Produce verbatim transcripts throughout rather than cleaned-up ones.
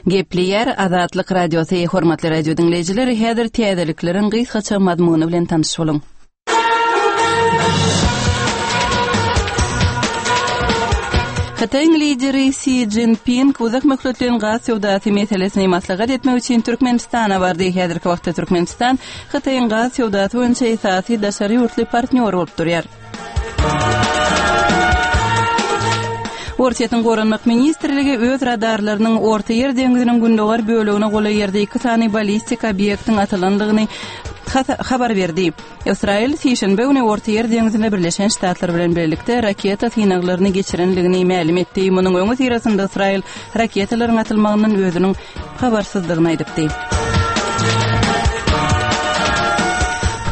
Gepleýär Azatlyk Radiosy, hormatly radio diňleýjiler, häzir täzelikleriň gysgaça mazmuny bilen tanyş boluň. Hytaýyň lideri Si Szinpin uzak möhletleýin gaz söwdasy meselesini maslahat etmek üçin Türkmenistana bardy. Häzirki wagtda Türkmenistan Hytaýyň gaz söwdasy boýunça esasy daşary ýurtly partnýor bolup durýar. Orsýetiň Goranmak ministrligi öz radarlarynyň Ortaýer deňziniň gündogar bölegine golaý ýerde iki sany ballistik obýektiň atylandygyny habar berdi. Ysraýyl sişenbe güni Ortaýer deňzinde Birleşen Ştatlar bilen birlikde raketa synaglaryny geçirendigini mälim etdi. Munuň öňüsyrasynda Ysraýyl raketalaryň atylmagyndan özüniň habarsyzdygyny aýdypdy.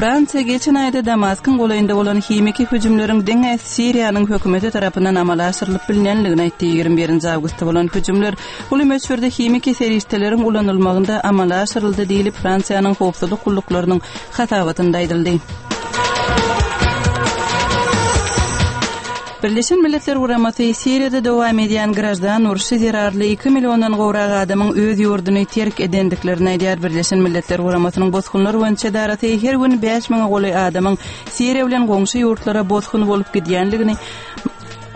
Fransiýa geçen aýda Damaskyň golaýynda bolan himiki hüjümleriň diňe Siriýanyň hökümeti tarapyndan amala aşyrylyp bilinendigini aýtdy. Ýigrimi birinji awgustda bolan hüjümler uly möçberde himiki serişdeleriň ulanylmagynda amala aşyryldy diýlip, Fransiýanyň howpsuzlyk gulluklarynyň hasabatynda aýdyldy. Birleşen Milletler Guramasy Siriýada dowam edýän graždan urşy zerarly iki milliondan gowrak adamyň öz ýurduny terk edendiklerini aýdýar. Birleşen Milletler Guramasynyň bosgunlar boýunça edarasy her gün bäş müňe golaý adamyň Siriýa bilen goňşy ýurtlara bosgun bolup gidýändigini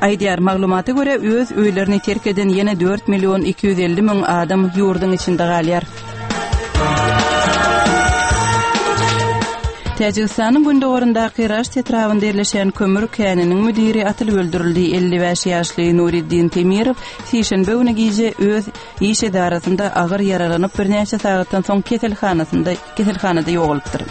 aýdýar. Maglumata görä, öz öýlerini terk eden ýene dört million iki ýüz elli müň adam ýurduň içinde galýar. Täjigistanyň gündogaryndaky Raşt etrabynda ýerleşen kömür käniniň müdiri atylyp öldürildi. Elli bäş ýaşly Nuriddin Temirow sişenbe güni gije öz iş edarasynda agyr ýaralanyp, birnäçe sagatdan soň keselhanasynda keselhanada ýogalypdyr.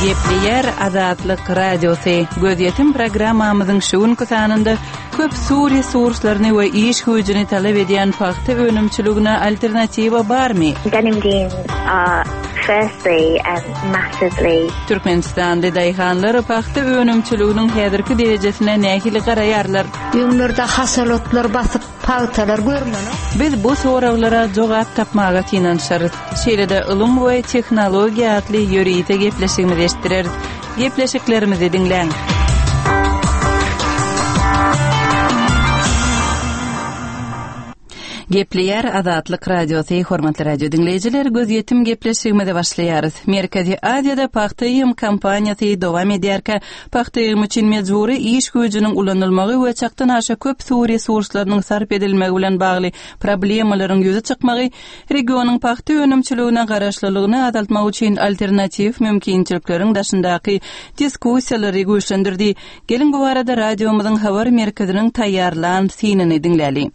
Gepleýär Azatlyk Radiosy. Gözýetim programmamyzyň şu günki sanynda köp suw resurslaryny we iş güýjüni talap edýän pagta önümçiligine alternatiwa barmy? Denim jeans are firstly um, massively Türkmenistanly daýhanlar pagta önümçiliginiň häzirki derejesine nähili garaýarlar? Öňlerde haşal otlar basyp pagtalar görmeli. Biz bu soraglara jogap tapmaga synanyşarys. Şeýle-de ylym we tehnologiýa atly ýörite gepleşigimizi eşitdireris. Gepleşiklerimizi diňläň. Gepleýär Azatlyk Radiosy, hormatly radio diňleýjiler, gözýetim gepleşigimize başlaýarys. Merkezi Aziýada pagta ýygym kampaniýasy dowam edýärkä, pagta ýygymy üçin mejbury iş güýjüniň ulanylmagy we çakdan aşa köp suw resurslarynyň sarp edilmegi bilen bagly problemalaryň ýüze çykmagy regionyň pagta önümçiligine garaşlylygyny azaltmak üçin alternatiw mümkinçilikleriň daşyndaky diskussiýalary güýçlendirdi. Geliň bu barada radiomyzyň habar merkeziniň taýýarlan synyny diňläli.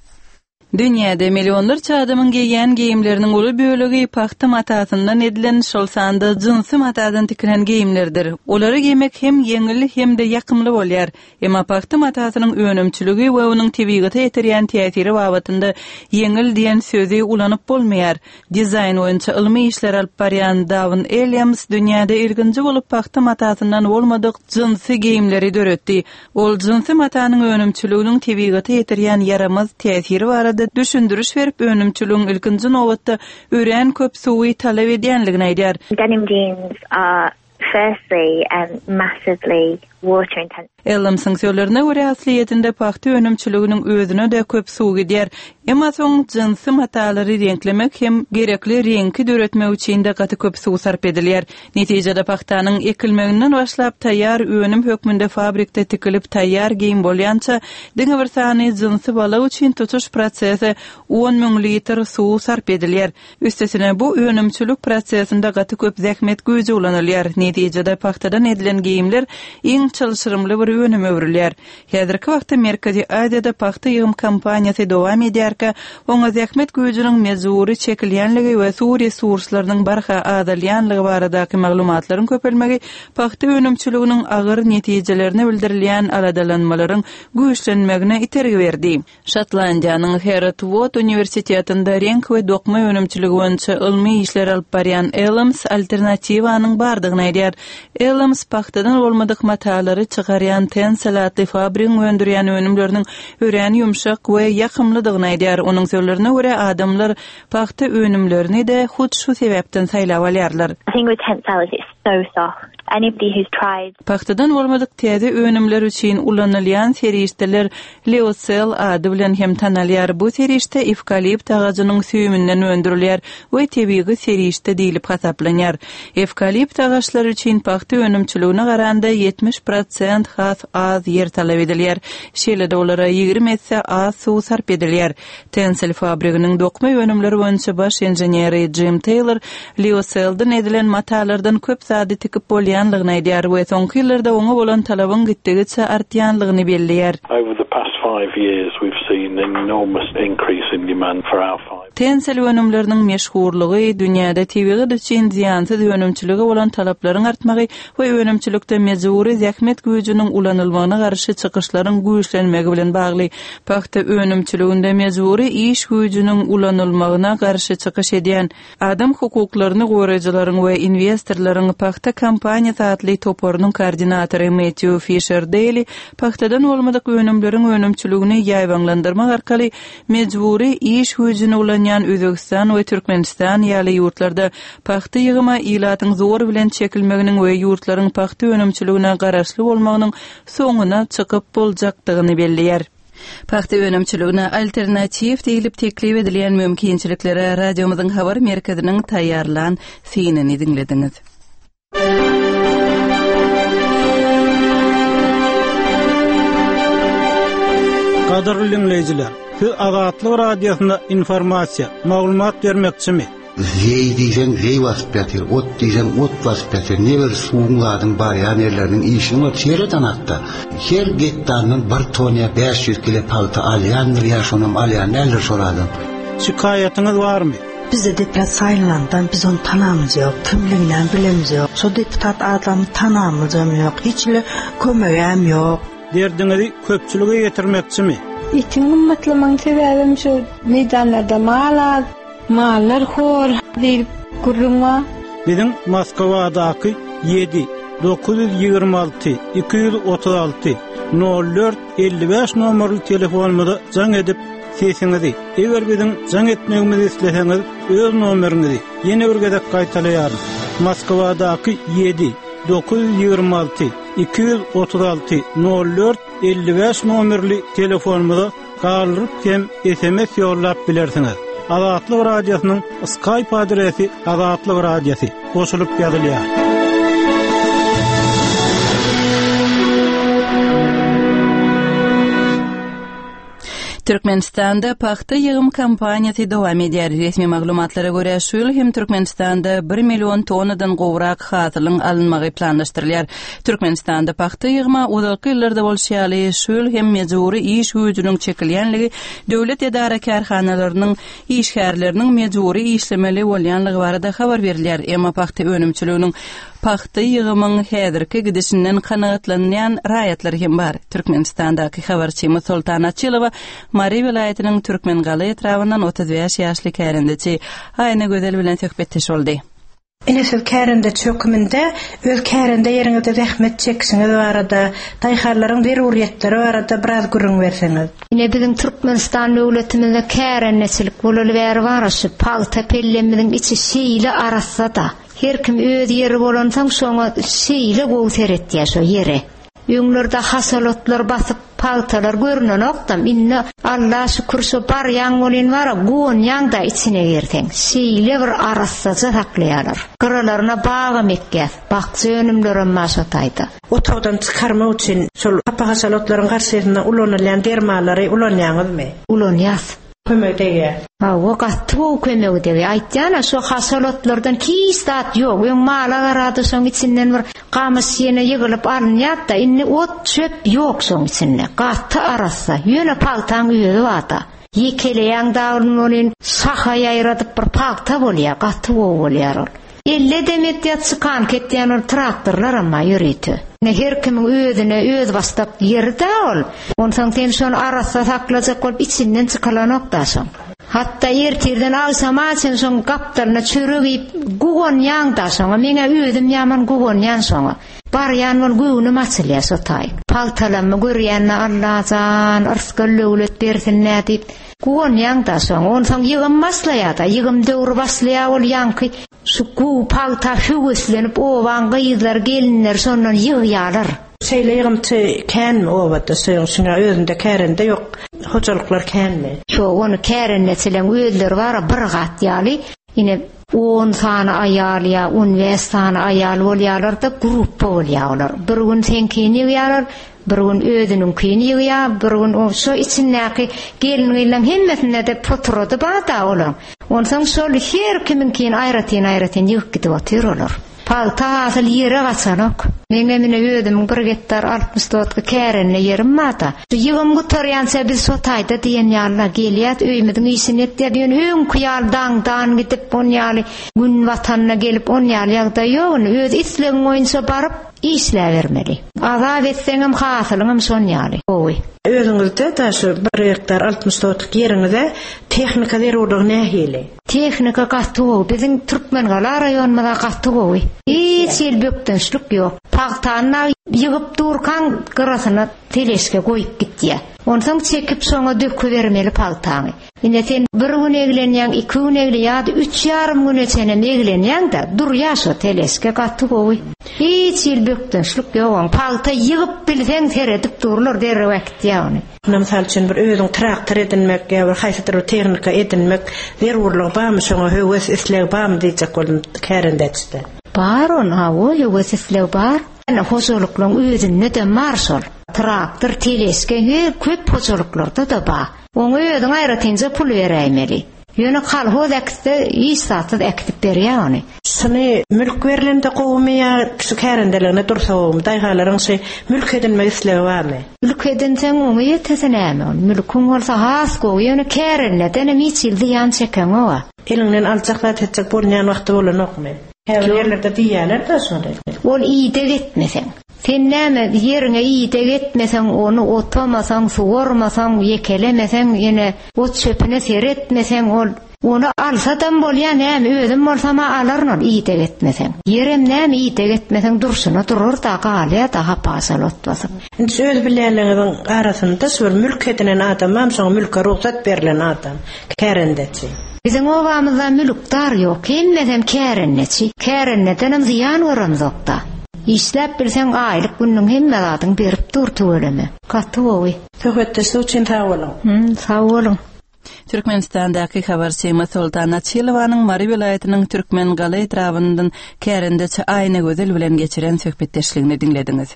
Dünýäde millionlarça adamyň geýýän geýimleriniň uly bölegi pagta matasyndan edilen, şol sanda jynsy matadan tikilen geýimlerdir. Olary geýmek hem ýeňil hem-de ýakymly bolýar. Emma pagta matasynyň önümçiligi we onuň tebigata ýetirýän täsiri babatynda ýeňil diýen sözi ulanyp bolmaýar. Dizaýn boýunça ylmy işler alyp barýan Dawn Elliams dünýäde ilkinji bolup pagta matasyndan bolmadyk jynsy geýimleri döretdi. Ol jynsy matanyň önümçiliginiň tebigata ýetirýän ýaramaz täsiri barada düşündiriş berip, önümçiligiň ilkinji nobatda örän köp suwy talap edýänligini aýdýar. Denim jeans are firstly um, massively water intensive. Ellamsyň sözlerine görä, aslyýetinde pagta önümçiliginiň özüne-de köp suw gidýär. Emma soň jynsy matalary reňklemek hem gerekli reňki döretmek üçin-de gaty köp suw sarp edilýär. Netijede pagtanyň ekilmeginden başlap taýýar önüm hökmünde fabrikde tikilip taýýar geýim bolýança diňe bir sany jynsy balak üçin tutuş prosese on müň litr suw sarp edilýär. Üstesine bu önümçilik prosesinde gaty köp zähmet güýji ulanylýar. Netijede pagtadan edilen geýimler iň çylşyrymly bir önüm öwrülýär. Häzirki wagtda Merkezi Aziýada pagta ýygym kampaniýasy dowam edýärkä, oňa zähmet güýjüniň mejbury çekilýänligi we suw resurslarynyň barha azalýanlygy baradaky maglumatlaryň köpelmegi pagta önümçiliginiň agyr netijelerine bildirilýän aladalanmalaryň güýçlenmegine itergi berdi. Şotlandiýanyň Heriot-Watt uniwersitetinde reňk we dokma önümçiligi boýunça ylmy işler alyp barýan Elams alternatiwanyň bardygyny aýdýar. Elams pagtadan bolmadyk matalary matalary çykarýan Tencel atly fabrigiň öndürýän önümleriniň örän ýumşak we ýakymlydygyny aýdýar. Onuň sözlerine görä, adamlar pagta önümlerini-de hut şu sebäpden saýlap alýarlar. I think with Tencel it's so soft. Anybody who's tried Pagtadan bolmadyk täze önümler üçin ulanylýan serişdeler Lyocell ady bilen hem tanalýar. Bu serişde ewkalipt agajynyň süýüminden öndürilýär we tebigy serişde diýlip hasaplanýar. Ewkalipt agaçlary üçin pagta önümçiligine garanda ýetmiş prosent has az ýer talap edilýär. Şeýle-de olara ýigrimi esse az suw sarp edilýär. Tencel fabriginiň dokma önümleri boýunça baş inženeri Jim Taylor Lyocellden edilen matalardan köp zady tikip bolýanlygyny aýdýar we soňky ýyllarda oňa bolan talabyň gitdigiçe artýanlygyny belleýär. Over the past five years we've seen an enormous increase in demand for our fibre. Tencel önümleriniň meşhurlygy dünýäde tebigat üçin zyýansyz önümçilige bolan talaplaryň artmagy we önümçilikde mejbury zähmet güýjüniň ulanylmagyna garşy çykyşlaryň güýçlenmegi bilen bagly. Pagta önümçiliginde mejbury iş güýjüniň ulanylmagyna garşy çykyş edýän adam hukuklaryny goraýjylaryň we inwestorlaryň pagta kompaniýasy atly toparynyň koordinatory Matthew Fisher Daly pagtadan bolmadyk önümleriň önümçiligini ýaýbaňlandyrmak arkaly mejbury iş güýjüni ulanýan Özbegistan we Türkmenistan ýaly ýurtlarda pagta ýygyma ilatyň zor bilen çekilmeginiň we ýurtlaryň pagta önümçiligine garaşly bolmagynyň soňuna çykyp boljakdygyny belleýär. Pagta önümçiligine alternatiw diýlip teklip edilýän mümkinçiliklere radiomyzyň habar merkeziniň taýýarlan synyny diňlediňiz. Gadyrly dinleýjiler, siz Azatlyk Radiosyna informasiýa, maglumat bermekçimi? Zeý diýseň zeý basyp ýatyr, ot diýseň ot basyp ýatyr. Ne bir suwuň zadyň barýan ýerleriniň işini var seret anakda. Her gektardan bir ton ýa bäş ýüz kilo pagta alýandyr ýa şonam alýan däldir şol adam. Şikaýatyňyz barmy? Bize deputat saýlandan biz onu tanamyz ýok, kimliginden bilemiz ýok. Şo deputat adamy tanamyzam ýok, hiç bile kömegem ýok. Derdiňizi köpçülige ýetirmekçimi? Etiň gymmatlamanyň sebäbim şu meýdanlarda mal az, mallar hor diýip gürrüň bar. Biziň Moskwadaky ýedi dokuz ýüz ýigrimi alty iki ýüz otuz alty nol dört elli bäş nomerli telefonumyza jaň edip sesiňizi, eger biziň jaň etmegimizi isleseňiz, öz nomeriňizi ýene bir gezek gaýtalaýaryn. Moskwadaky ýedi dokuz ýüz ýigrimi alty iki ýüz otuz alty nol dört elli bäş nomerli telefonumyza galdyryp hem S M S ýollap bilersiňiz. Azatlyk Radiosynyň Skype adresi Azatlyk Radiosy goşulyp ýazylýar. Türkmenistanda pagta ýygym kampaniýasy dowam edýär. Resmi maglumatlara görä, şu ýyl hem Türkmenistanda bir million tonnadan gowrak hasylyň alynmagy planlaşdyrylýar. Türkmenistanda pagta ýygyma uzakly ýyllarda bolşy ýaly, şu ýyl hem mejbury iş güýjüniň çekilýänligi döwlet edara kärhanalarynyň işgärleriniň mejbury işlemeli bolýanlygy barada habar berilýär. Emma pagta önümçiliginiň pagta ýygymyň häzirki gidişinden kanagatlanýan raýatlar hem bar. Türkmenistandaky habarçymyz Soltan Açylowa Mary welaýatynyň Türkmengala etrabyndan otuz bäş ýaşly kärendeçi Aýna Gözel bilen söhbetdeş boldy. Ine siz kärende çöküminde öz kärende ýeriňizde zähmet çekişiňiz barada, daýhanlaryň zeruriyetleri barada biraz gürrüň berseňiz. Ine biziň Türkmenistan döwletimizde kärendeçilik bolaly bäri bar, şu pagta pellemimiziň içi şeýle arassa-da. Her kim öz ýeri bolansoň şoňa şeýle gowy seretýär şo ýere. Öňlerde hasalotlar basyp pagtalar görünenokdam. Indi Alla şükür şo barýan bolýan bara guwanýan da içine girseň. Şeýle bir arassaja saklaýarlar. Gyralaryna bagam ekýär. Bakja önümlerem bar şo taýda. Otagdan çykarmak üçin şol hapa hasalotlaryň garşysynda ulanylýan dermanlary ulanýaňyzmy? Ulanýas. Kömek degýär. Hawa, gaty gowy kömek degýär. Aýtýan-a, şo hasalotlardan hiç zat ýok. Öň mala garady, şoň içinden bir gamyş ýene ýygylyp alynýar-da, indi ot çöp ýok şoň içinde. Gaty arassa. Ýöne pagtaň özi bar-da. Ýekeleýän dagyn bolýan, şaha ýaýradyp bir pagta bolýar, gaty gowy bolýar ol. Elle demet ýa çykan ketýän ol traktorlar amma ýörite. Ne her kimiň özüne öz bastak ýeri-de ol. Onsoň sen şony arassa saklajak bolup içinden çykylanok da şoň. Hatda ertirden agşama çen şoň gapdalyna çörek iýip guwanýan da şoňa. Meňe özüm ýaman guwanýan şoňa. Barýan bol göwnüm açylýar şo taý. Pagtalanmy görýänne Allajan yrsgal döwlet bersin nä diýip guwanýaň da şoň. Onsoň ýygym başlaýar da, ýygym döwri başlaýar ol ýaňky şu gowy pagta höweslenip owaň gyzlar, gelinler şondan ýygýarlar. Şeýle ýygymçy känmi obada şoň şuňa özünde kärende ýok, hojalyklar känmi? Şo ony kärendeçileň özleri bar bir gat ýaly, ine on sany aýal ýa on beş sany aýal bolýarlar da gruppa bolýarlar. Bir gün seňkini ýygýarlar, bir gün özüniňkini ýygýar, bir gün o şo içindäki gelin-gyzlaryň hemmesinde de poturady bar da olaň. Onsoň şol her kimiňkini aýratyn-aýratyn ýygyp gidip otyr olar. Pagta hasyl ýere gaçanok. Meňe mine özümiň bir gektar altmyş dotky kärende ýerim bar da. Şu ýygym gutarýança biz şo taýda diýen ýalyna gelýär, öýümiziň işini etýär. Ýöne öňki ýaly daňdan gidip on ýaly gün watanyna gelip on ýaly ýagdaý ýok. Ony öz islegiň boýunça baryp işläbermeli. Azap etseňem hasylyňam şon ýaly. Gowy. Özüňizde da şu bir gektar altmyş dotlyk ýeriňize tehnika zerurlygy nähili? Tehnika gaty gowy. Biziň Türkmengala raýonymyzda gaty gowy. Hiç ýyl bökdençlik ýok. Pagtany ýygyp durkan gyrasyna teleşke goýup gitýär. Onsoň çekip şoňa dökübermeli pagtany. Ine sen bir gün eglenýäň, iki gün eglenýäň, üç ýarym güne çenem eglenýäň da durýar şo teleşke gaty gowy. Hiç ýyl bökdençlik ýok. Pagta ýygyp bilseň seredip durlar derrew äkitýär ony. Muna mysal üçin bir özüň traktor edinmek ýa bir haýsydyr bir tehnika edinmek zerurlygy barmy, şoňa höwes isleg barmy diýjek boldum kärendeçde. Bar on, hawa, höwes isleg bar. Ýöne hojalyklaryň özünde de bar şol. Traktor, teleşke her köp hojalyklarda da bar. Oňa özüň aýratynja pul beräýmeli. Ýöne kolhoz äkitse, iş satsyz äkitip berýär ony. Şuny mülk berilende gowumy ýa şu kärendeligine dursa gowumy? Daýhanlaryň şu mülk edinmek islegi barmy? Mülk edinseň oňa ýetese näme ol? Mülküň bolsa has gowy, ýöne kärendeden hem hiç ýyl zyýan çekeňok. Eliňden aljak zat etjek bolýan wagty bolanokmy? Käbir ýerlerde diýýärler de şony. Ol ideg etmeseň. Sen näme ýeriňe ideg etmeseň, ony otamasaň, suwarmasaň, ýekelemeseň, ýene ot çöpüne seretmeseň, ol ony alsadam bolýar, näme özüm bolsam alaryn ol ideg etmeseň. Ýerem näme ideg etmeseň durşuna durur da galýar da hapasal ot basyp. Indi öz bilýänleriňiziň arasynda şu bir mülk edinen adam hem şoňa mülke rugsat berlen adam, kärendeçi. Biziň obamyzda mülkdar ýok, hemmesem kärendeçi. Kärendeden hem zyýan göremzok da. Işläp bilseň aýlyk günüň hemme zadyň berip dur tüweleme. Gaty gowy. Söhbetdeşlik üçin sag boluň. Hmm, sag boluň. Türkmenistandaky habarçymyz Soltan Açylowanyň Mary welaýatynyň Türkmengala etrabyndan kärendeçi Aýnagözel bilen geçiren söhbetdeşligini diňlediňiz.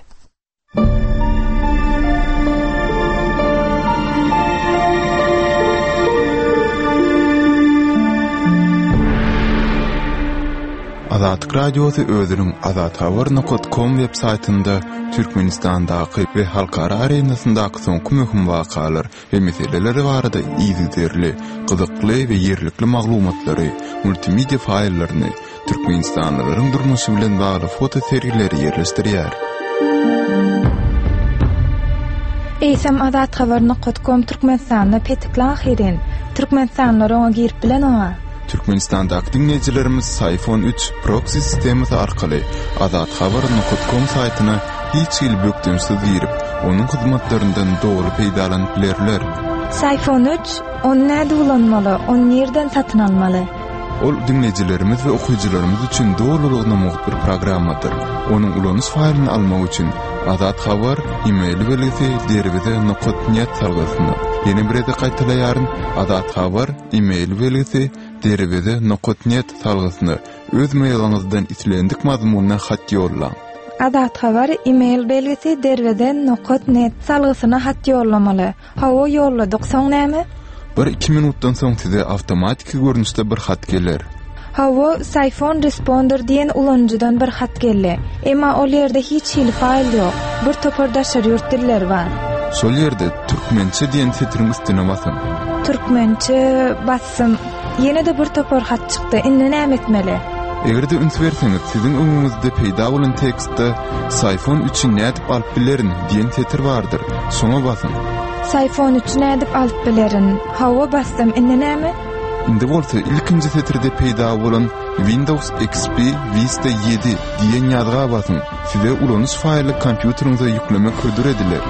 Azatlyk Radiosy özüniň azathabar nokta com web saýtynda Türkmenistandaky we halkara arenasyndaky soňky möhüm wakalar we meseleler barada yzygiderli, gyzykly we ýerlikli maglumatlary, multimedia faýllaryny, Türkmenistanlylaryň durmuşy bilen bagly foto sergileri ýerleşdirýär. Eýsem azathabar nokta com Türkmenistanda petikli ahyrin. Türkmenistanlylar oňa girip bilen oňa. Türkmenistandaky diňleýjilerimiz Sayfon üç proxy sistemasy arkaly azathabar nokta com saýtyna hiç hili bökdençsiz girip, onuň hyzmatlaryndan doly peýdalanyp bilerler. Sayfon üç, ony näde ulanmaly, ony nirden satyn almaly? Ol diňleýjilerimiz we okyjylarymyz üçin dolulygyna mugt bir programmadyr. Onuň ulanyş faýlyny almak üçin Azat Habar e-mail belgisi derweze nokta net salgysyna. Ýene bir gezek gaýtalaýaryn. Azat Habar e-mail belgisi derweze nokta net salgysyna öz mailiňizden islendik mazmunda hat ýollaň. Azat Habar e-mail belgisi derweze nokta net salgysyna hat ýollamaly. Hawa ýolladyk, soň näme? Bir iki minutdan soň size awtomatiki görnüşde bir hat geler. Hawa, Sayfon Responder diýen ulanyjydan bir hat geldi. Emma ol ýerde hiç hili faýl ýok. Bir topar daşary ýurt dilleri bar. Şol ýerde türkmençe diýen setiriň üstüne basyň. Türkmençe bassym. Ýene de bir topar hat çykdy. Indi näme etmeli? Eger-de üns berseňiz, siziň öňüňizde peýda bolan tekstde Sayfon üçi nädip alyp bilerin diýen setir bardyr. Şoňa basyň. Sayfon üçi nädip alyp bilerin? Hawa bassym. Indi näme? Indi bolsa ilkinji setirde peýda bolan Windows X P Vista ýedi diýen ýazga basyň. Size ulanyş faýly kompýuteriňize ýüklemek hödür ediler.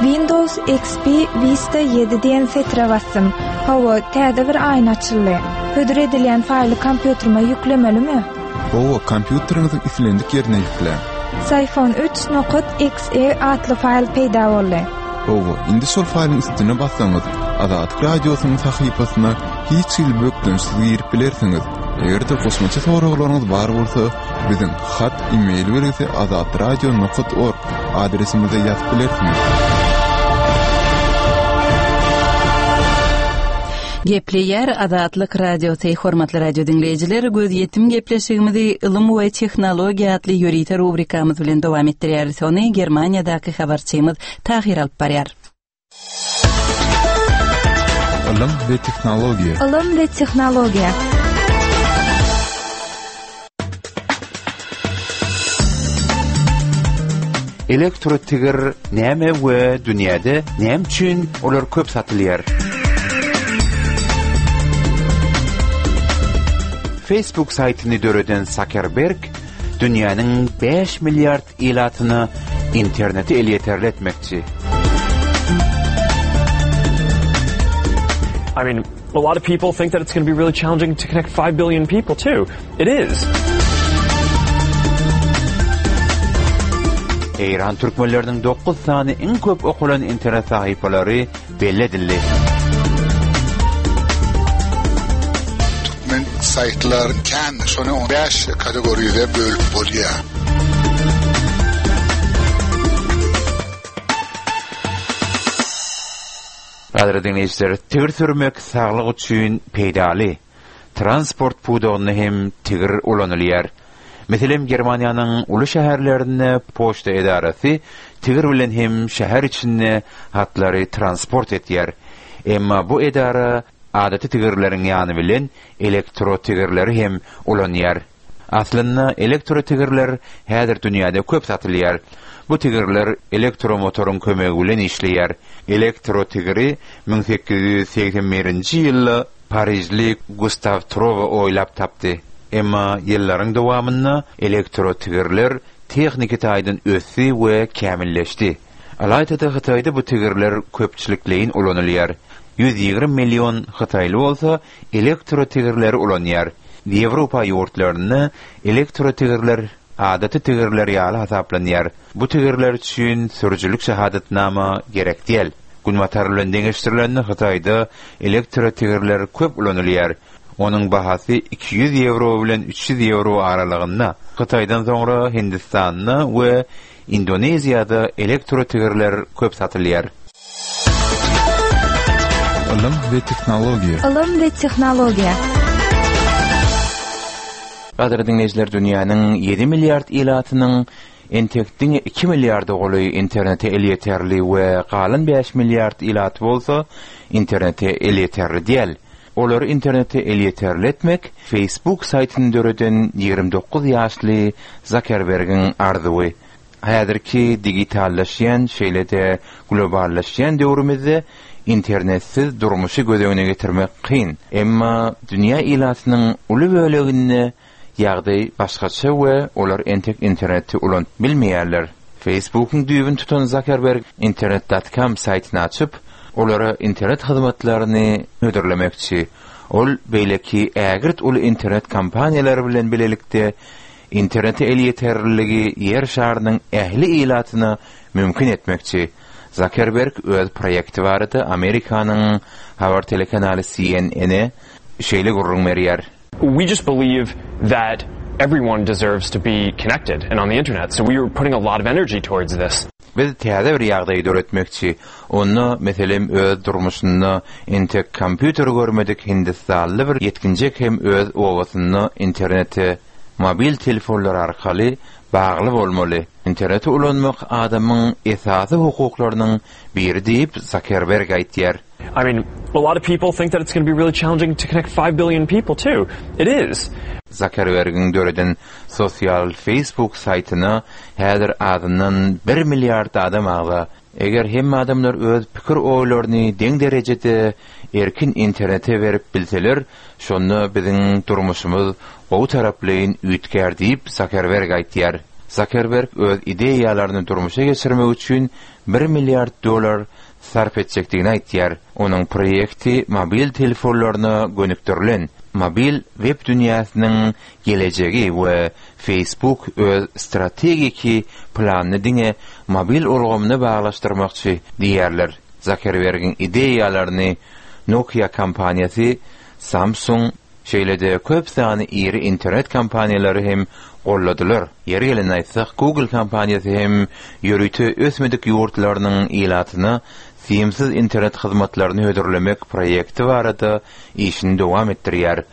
Windows X P Vista ýedi diýen setire basdym. Hawa, täze bir aýna açyldy. Hödür edilýän faýly kompýuterime ýüklemelimi? Hawa, kompýuteriňiziň islendik ýerine ýükläň. Psiphon üç nokat X E atly faýl peýda boldy. Hawa, indi şol faýlyň üstüne bassaňyz, Azatlyk Radiosynyň sahypasyna hiç hili bökdençsiz girip bilersiňiz. Eger-de goşmaça soraglaryňyz bar bolsa, biziň hat e-mail belgisi azatradio nokat org adresimize ýazyp bilersiňiz. Gepleýär Azatlyk Radiosy, hormatly radio diňleýjiler, gözýetim gepleşigimizi ylym we tehnologiýa atly ýörite rubrikamyz bilen dowam etdirýäris. Ony Germaniýadaky habarçymyz Tahir alyp barýar. Ylym we tehnologiýa. Ylym we tehnologiýa. Elektrotigir näme we dünýäde näme üçin olar köp satylýar? Facebook saýtyny döreden Zuckerberg dünýäniň bäş milliard ilatyna interneti elýeterli etmekçi. I mean, a lot of people think that it's gonna be really challenging to connect five billion people too. It is. Eýran türkmenleriniň dokuz sany iň köp okalan internet sahypalary belli edildi. Türkmen saýtlar kän, şony on bäş kategoriýada bölüp bolýar. Gadyrly dinleýjiler, tigir sürmek saglyk üçin peýdaly. Transport pudagynda hem tigir ulanylýar. Meselem, Germaniýanyň uly şäherlerinde poçta edarasy tigir bilen hem şäher içinde hatlary transport etýär. Emma bu edara adaty tigirleriň ýany bilen elektrotigirleri hem ulanýar. Aslynda elektrotigirler häzir dünýäde köp satylýar. Bu tigirler elektromotoryň kömegi bilen işleýär. Elektrotigiri müň sekiz ýüz segsen birinji ýylda Parijli Gustav Trova oýlap tapdy. Emma ýyllaryň dowamynda elektrotigirler tehniki taýdan ösdi we kämilleşdi. Alaytada Hytaýda bu tigirler köpçülikleýin ulanylýar. Ýüz ýigrimi million Hytaýly bolsa elektrotigirleri ulanýar. Ýewropa ýurtlarynda elektrotigirler adaty tigirler ýaly hasaplanýar. Bu tigirler üçin sürüjilik şahadatnama gerek däl. Günbatar bilen deňeşdirilende Hytaýda elektrotigirler köp ulanylýar. Onuň bahasy iki ýüz ýewro bilen üç ýüz ýewro aralygynda. Hytaýdan soňra Hindistanda we Indoneziýada elektrotigirler köp satylýar. Ylym we tehnologiýa. Ylym we tehnologiýa. Gadyrly dinleýjiler, dünýäniň ýedi milliard ilatynyň entek diňe iki milliard golaý internete elýeterli we galan bäş milliard ilat bolsa internete elýeterli däl. Olary internete elýeterli etmek Facebook saýtyny döreden ýigrimi dokuz ýaşly Zuckerbergiň arzuwy. Häzirki digitallaşýan, şeýle-de globallaşýan döwrümizde internetsiz durmuşy göz öňüne getirmek kyn. Emma dünýä ilatynyň uly böleginde ýagdaý başgaça we olar entek interneti ulanyp bilmeýärler. Facebookyň düýbüni tutan Zuckerberg internet dot com saýtyny açyp, olara internet hyzmatlaryny hödürlemekçi. Ol beýleki ägirt uly internet kompaniýalary bilen bilelikde internete elýeterliligi ýer şarynyň ähli ilatyna mümkin etmekçi. Zuckerberg öz proýekti barada Amerikanyň habar telekanaly C N N-e şeýle gürrüň berýär. We just believe that everyone deserves to be connected and on the internet, so we are putting a lot of energy towards this. Biz täze bir ýagdaýy döretmekçi. Onda, meselem, öz durmuşynda entek kompýuter görmedik Hindistanly bir ýetginjek hem öz obasynda internete mobil telefonlar arkaly bagly bolmaly. Interneti ulanmak adamyň esasy hukuklarynyň biri diýip Zuckerberg aýtýar. I mean, a lot of people think that it's gonna be really challenging to connect five billion people too. It is. Zuckerbergiň döreden sosial Facebook saýtyna häzir azyndan bir milliard adam agza. Eger hemme adamlar öz pikir oýlaryny deň derejede erkin internete berip bilseler, şonda biziň durmuşymyz gowy taraplaýyn üýtgär diýip Zuckerberg aýtýar. Zuckerberg öz ideýalaryny durmuşa geçirmek üçin bir milliard dollar sarp etjekdigini aýtýar. Onuň proýekti mobil telefonlaryna gönükdirilen mobil web dünýäsiniň gelejegi we Facebook öz strategiki planyny diňe mobil ulgamyna baglaşdyrmakçy diýerler. Zuckerbergiň ideýalaryny Nokia kompaniýasy, Samsung, şeýle-de köp sany iri internet kompaniýalary hem golladylar. Ýeri gelen aýtsak, Google kompaniýasy hem ýörite ösmedik ýurtlarynyň ilatyna simsiz internet hyzmatlaryny hödürlemek proýekti barada işini dowam etdirýär.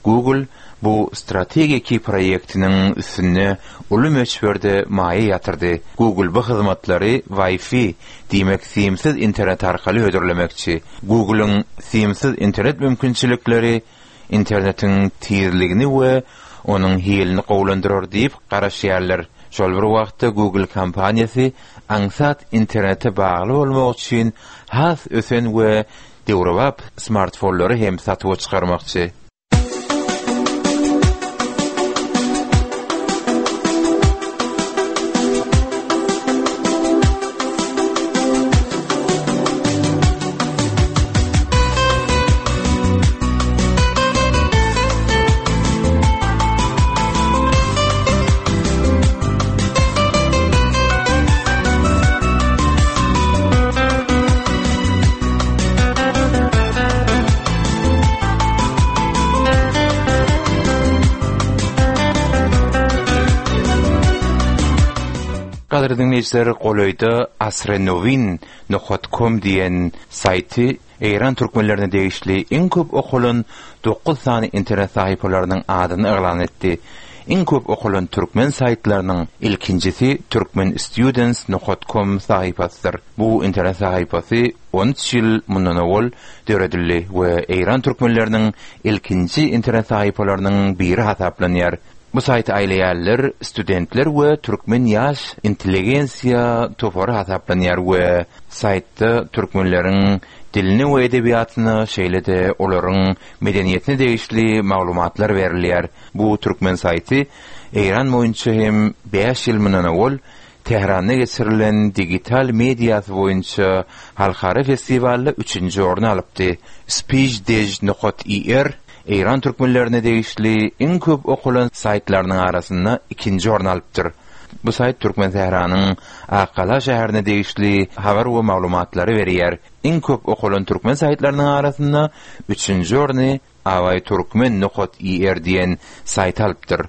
Google bu strategiki proýektiniň üstünde uly möçberde maýa ýatyrdy. Google bu hyzmatlary Wi-Fi diýmek simsiz internet arkaly hödürlemekçi. Google'yň simsiz internet mümkinçilikleri internetiň tizligini we onuň hilini gowulandyrar diýip garaşýarlar. Şol bir wagtda Google kompaniýasy aňsat internete bagly bolmak üçin has ösen we döwrebap smartfonlary hem satuwa çykarmakçy. Gadyrly dinleýjiler, golaýda asrenovin nokta com diýen saýty Eýran türkmenlerine degişli iň köp okalan dokuz sany internet sahypalarynyň adyny yglan etdi. Iň köp okalan türkmen saýtlarynyň ilkinjisi turkmenstudents nokta com sahypasydyr. Bu internet sahypasy on üç ýyl mundan owal döredildi we Eýran türkmenleriniň ilkinji internet sahypalarynyň biri hasaplanýar. Bu saýty aýlaýarlar studentler we türkmen ýaş intelligensiýa topary hasaplanýar we saýtda türkmenleriň dilini we edebiýatyna, şeýle-de olaryň medeniýetine degişli maglumatlar berilýär. Bu türkmen saýty Eýran boýunça hem bäş ýyl mundan owal Tähranda geçirilen digital mediasy boýunça halkara festiwalda üçünji orny alypdy. Speechdej nokta i r Eýran türkmenlerine degişli iň köp okalan saýtlarynyň arasynda ikinji orny alypdyr. Bu saýt Türkmen Tähranyň Akgala şäherine degişli habar we maglumatlary berýär. Iň köp okalan türkmen saýtlarynyň arasynda üçünji orny avayturkmen nokta i r diýen saýt alypdyr.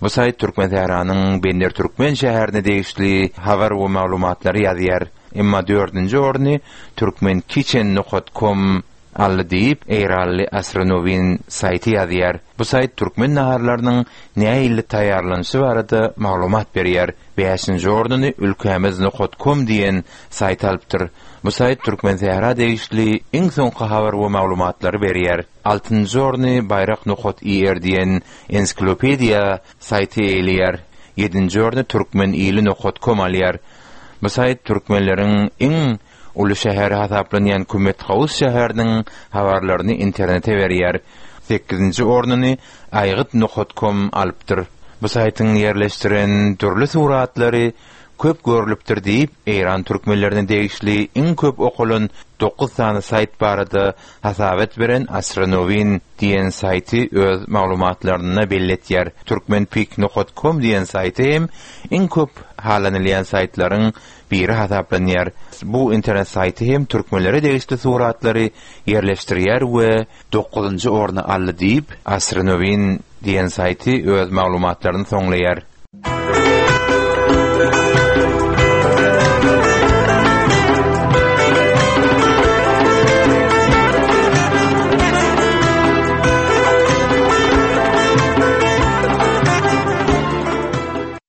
Bu saýt Türkmen Tähranyň Bender Türkmen şäherine degişli habar we maglumatlary ýazýar. Emma dördünji orny turkmenkitchen nokta com aldy diýip Eýranly Astronovin saýty ýazýar. Bu saýt türkmen naharlarynyň nähili taýýarlanyşy barada maglumat berýär. Bäşinji ornuny ülkämiz nokta com diýen saýt alypdyr. Bu saýt Türkmen Sähra degişli iň soňky habar we maglumatlary berýär. Altynjy orny bayrak nokta i r diýen ensiklopediýa saýty eýleýär. Ýedinji orny turkmen ili nokta com alýar. Bu saýt türkmenleriň iň uly şäheri hasaplanýan Kümethaus şäheriniň habarlaryny internete berýär. Sekizinji ornuny aýgyt nokta com alypdyr. Bu saýtyň ýerleşdiren dürli suratlary köp görülüpdir diýip, Eýran türkmenlerine degişli iň köp okalan dokuz sany saýt barada hasabat beren Astronovin diýen saýty öz maglumatlarynda belletýär. Turkmenpik nokta com diýen saýty hem iň köp halanylýan saýtlaryň biri hasaplanýar. Bu internet saýty hem türkmenlere degişli suratlary ýerleşdirýär we dokuzynjy orny aldy diýip, Astronovin diýen saýty öz maglumatlaryny soňlaýar.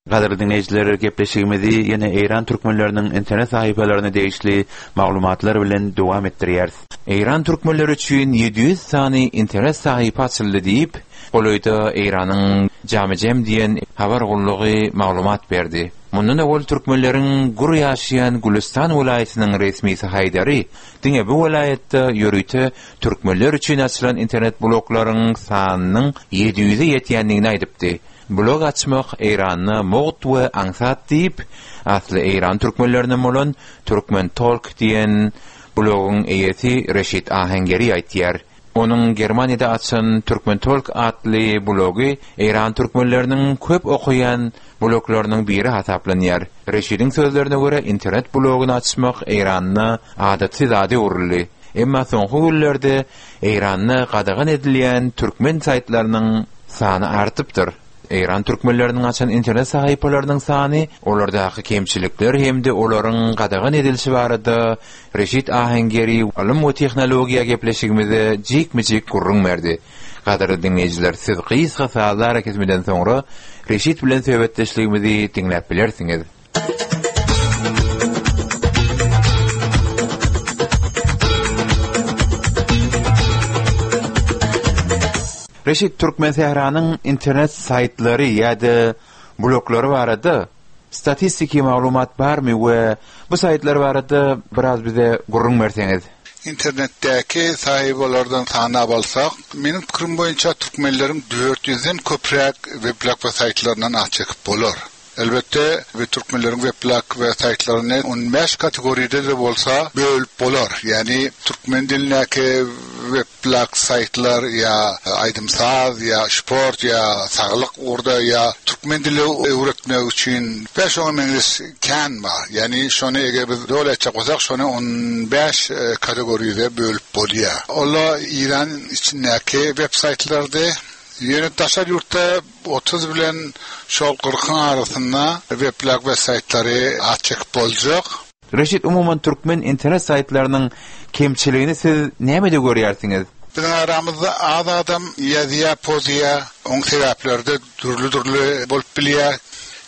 Gadyrly dinleýjiler, gepleşigimizi ýene Eýran türkmenleriniň internet sahypalaryna degişli maglumatlar bilen dowam etdirýäris. Eýran türkmenleri üçin ýedi ýüz sany internet sahypa açyldy diýip, golaýda Eýranyň Jamijem diýen habar gullugy maglumat berdi. Mundan owal türkmenleriň gür ýaşaýan Gülüstan welaýatynyň resmisi Haýdary diňe bu welaýatda ýörite türkmenler üçin açylan internet bloklaryň sanynyň ýedi ýüze ýetýändigini aýdypdy. Blog açmak Eýranda mugt we aňsat diýip, asly eýran türkmenlerinden bolan Türkmen Talk diýen blogyň eýesi Reşit Ahengeri aýtýar. Onuň Germaniýada açan Türkmen Talk atly blogy eýran türkmenleriniň köp okaýan bloklarynyň biri hasaplanýar. Reşidiň sözlerine görä, internet blogyny açmak Eýranda adaty zada öwrüldi. Emma soňky günlerde Eýranda gadagan edilýän türkmen saýtlarynyň sany artypdyr. Eýran türkmenleriniň açan internet sahypalarynyň sany, olardaky kemçilikler hem-de olaryň gadagan edilişi barada Reşit Ahengeri ylym we tehnologiýa gepleşigimize jikme-jik gürrüň berdi. Gadyrly diňleýjiler, siz gysga sazly arakesmeden soňra Reşit bilen söhbetdeşligimizi diňläp bilersiňiz. Reşit, Türkmensähranyň internet saýtlary ýa-da bloglary barada statistiki maglumat barmy we bu saýtlar barada biraz bize gürrüň berseňiz? Internetdäki sahypalardan sanap alsak, meniň pikirim boýunça türkmenleriň dört ýüzden köpräk weblog we saýtlaryndan az çekip bolar. Elbetde, bu türkmenleriň weblog we saýtlaryny on bäş kategoriýada-da bolsa bölüp bolar. Ýagny türkmen dilindäki weblog saýtlar ýa aýdym-saz, ýa sport, ýa saglyk ugurda, ýa türkmen dili öwretmek üçin we şoňa meňzeş kän bar. Ýagny şony eger biz doly aýtjak bolsak, şony on bäş kategoriýada bölüp bolýar. Olar Eýran içindäki web saýtlardy. Ýöne daşary ýurtda otuz bilen şol kyrkyň arasynda weblog we saýtlary at çekip boljak. Reşit, umuman türkmen internet saýtlarynyň kemçiligini siz nämede görýärsiňiz? Biziň aramyzda az adam ýazýar, pozýar, oň sebäpleri-de dürli-dürli bolup bilýär.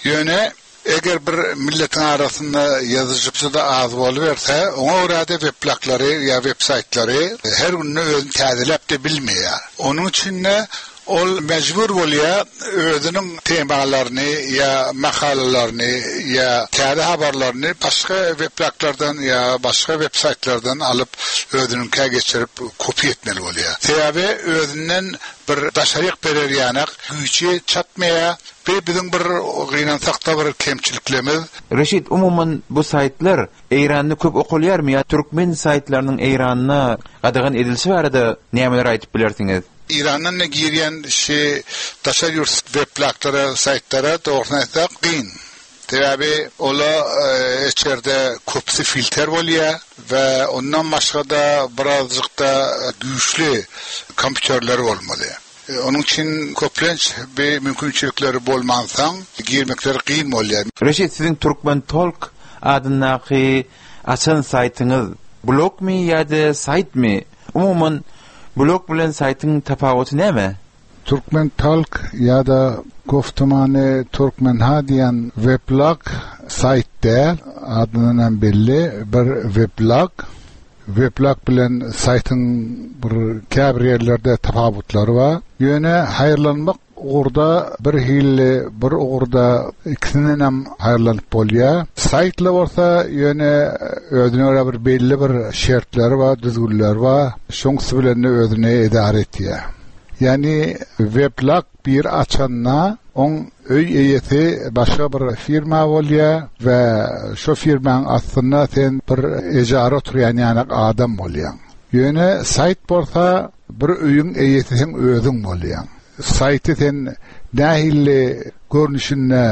Ýöne eger bir milletiň arasynda ýazyjy-da az boluberse, oňa görä-de webloglary ýa web saýtlary her günde özüni täzeläp-de bilmeýär. Onuň üçin-de ol mejbur bolýar özüniň temalaryny ýa makalalaryny ýa täze habarlaryny başga webloglardan ýa başga web saýtlardan alyp özüniňkä geçirip kopýa etmeli bolýar. Sebäbi özünden bir daşaryk berer ýanak güýji çatmaýar. Bi biziň bir gynansakda bir kemçiliklerimiz. Reşit, umuman bu saýtlar Eýranda köp okalýarmy ýa türkmen saýtlarynyň Eýranda gadagan edilişi barada nämeler aýdyp bilersiňiz? Eýrandan da girýän şi daşary ýurt webloglara, saýtlara dogrusyny aýtsak kyn. Sebäbi ola, e, içerde köpüsi filter bolýar we ondan başga-da birazjyk da güýçli kompýuterler bolmaly. E, onuň üçin köplenç bir mümkinçilikleri bolmansoň girmekleri kyn bolýar. Reşit, siziň Türkmen Talk adyndaky açan saýtyňyz blogmy ýa-da saýtmy? Umuman blog bilen saýtyň tapawuty näme? Türkmen Talk ýa-da Goftumany Türkmenha diýen weblog saýt däl, adyndan hem belli bir weblog. Weblog bilen saýtyň bir käbir ýerlerde tapawutlary bar. Ýöne haýyrlanmak ugurda bir hilli, bir ugurda ikisinden hem haýyrlanyp bolýar. Saýtly bolsa ýöne özüne görä bir belli bir şertleri bar, düzgünleri bar. Şoňsy bilen özüne idare etýär. Ýagny weblog bir açanda oň öý eýesi başga bir firma bolýar we şo firmaň aslynda sen bir ejara oturýan ýanak adam bolýaň. Ýöne saýt bolsa bir öýüň eýesi sen özüň bolýaň. Saýty sen nähilli görnüşinde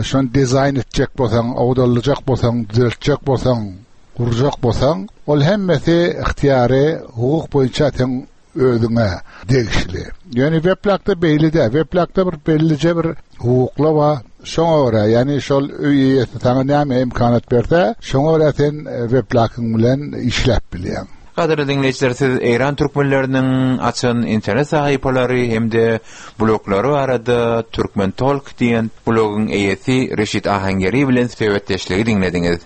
şon dizaýn etjek bolsaň, awdallyjak bolsaň, düzeltjek bolsaň, gurjak bolsaň, ol hemmesi ihtiýary hukuk boýunça sen özüňe degişli. Ýöne weblogda belli däl. Weblogda bir bellije bir hukukla bar. Şoňa görä, ýagny şol öý eýesi saňa näme imkanat berse, şoňa görä sen weblogyň bilen işläp bilýäň. Gadyrly diňleýjiler, siz Eýran türkmenleriniň açan internet sahypalary hem-de bloglary barada Türkmen Talk diýen blogyň eýesi Reşit Ahangeri bilen söhbetdeşligi diňlediňiz.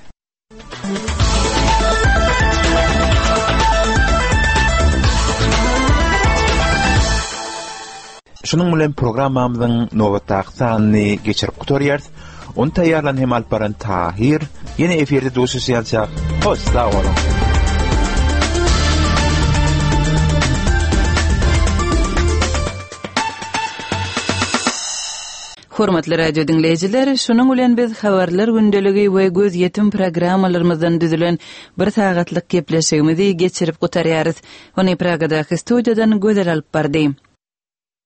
Şunuň bilen programmamyzyň nobatdaky sanyny geçirip gutarýarys. Ony taýýarlan hem alyp baran Tahir. Ýene efirde duşuşýançak, hoş sag boluň. Hormatly radio diňleýjiler, şunuň bilen biz habarlar gündeligi we gözýetim programmalarymyzdan düzülen bir sagatlyk gepleşigimizi geçirip gutarýarys. Ony Pragadaky studiýadan Gözel alyp bardy.